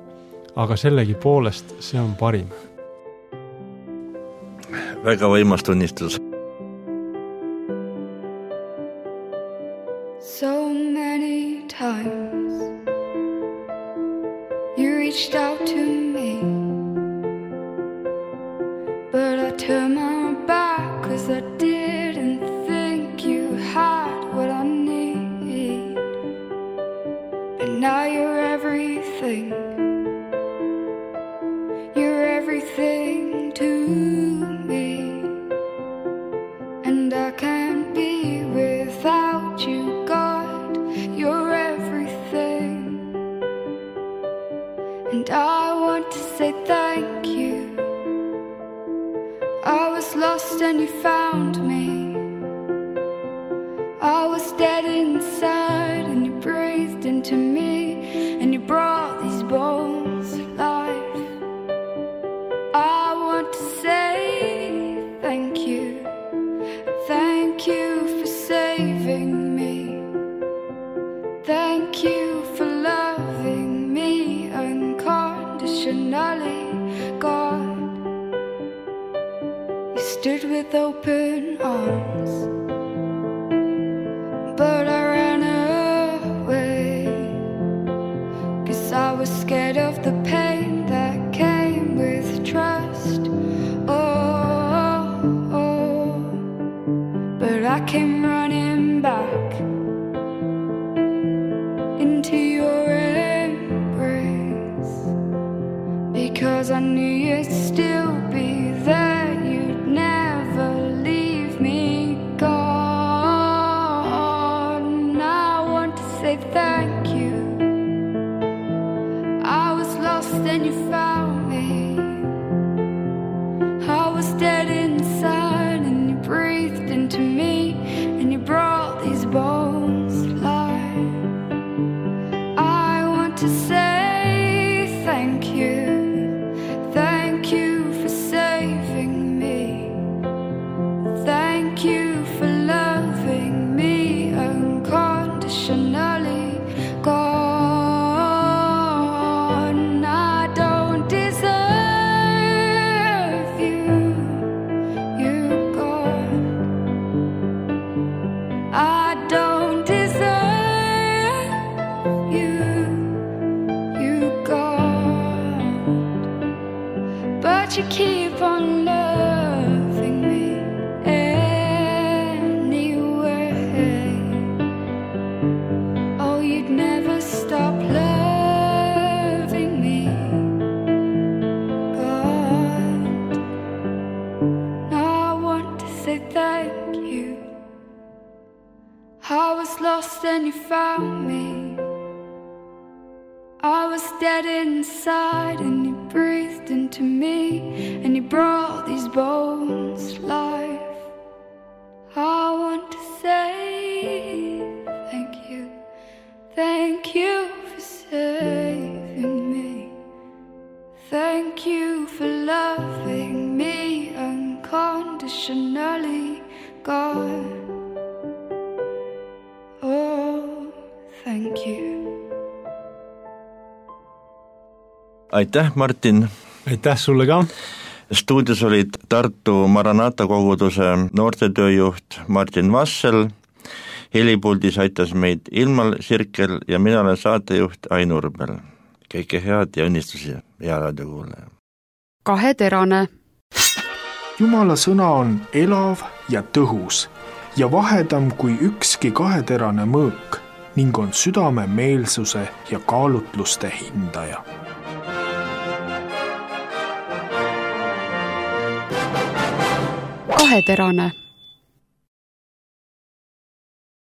aga sellegi poolest see on parim. Väga võimas tunnistus. So many times you reached out to me, but I turned my back 'cause I didn't think you had what I need. But now you're everything. You're everything to me, and I can't be without you, God. You're everything, and I want to say thank you. I was lost and you found me. I was dead inside and you breathed into me, and you brought these bones to life. I want to say thank you. Thank you for saving me. Thank you for loving me unconditionally, God. You stood with open arms, but I ran away 'cause I was scared of the pain that came with trust. But I came running back into your embrace because I knew you'd still be there. You'd never leave me, God. And I want to say thank you. I was lost and you found me. I was dead inside and you breathed into me, and you brought these bones to life. I want to say thank you. Thank you for saving me. Thank you for loving me unconditionally, God. And I don't deserve you, God. I don't deserve you, God. But you keep on loving me anyway. Oh, you'd never stop loving me, God. Now I want to say thank you. I was lost and you found me. I was dead inside and you breathed into me, and you brought these bones to life. I want to say thank you. Thank you for saving me. Thank you for loving me unconditionally, God. Oh, thank you. Aitäh, Martin! Aitäh sulle ka! Stuudios olid Tartu Maranata koguduse noortetööjuht Martin Vassel, helipuldis aitas meid Ilmar Sirkel ja mina olen saatejuht Ain Urbel. Kõike head ja õnnistusi, hea raadiokuulaja! kaheterane, Jumala sõna on elav ja tõhus ja vahedam kui ükski kaheterane mõõk ning on südame meelsuse ja kaalutluste hindaja. kaheterane,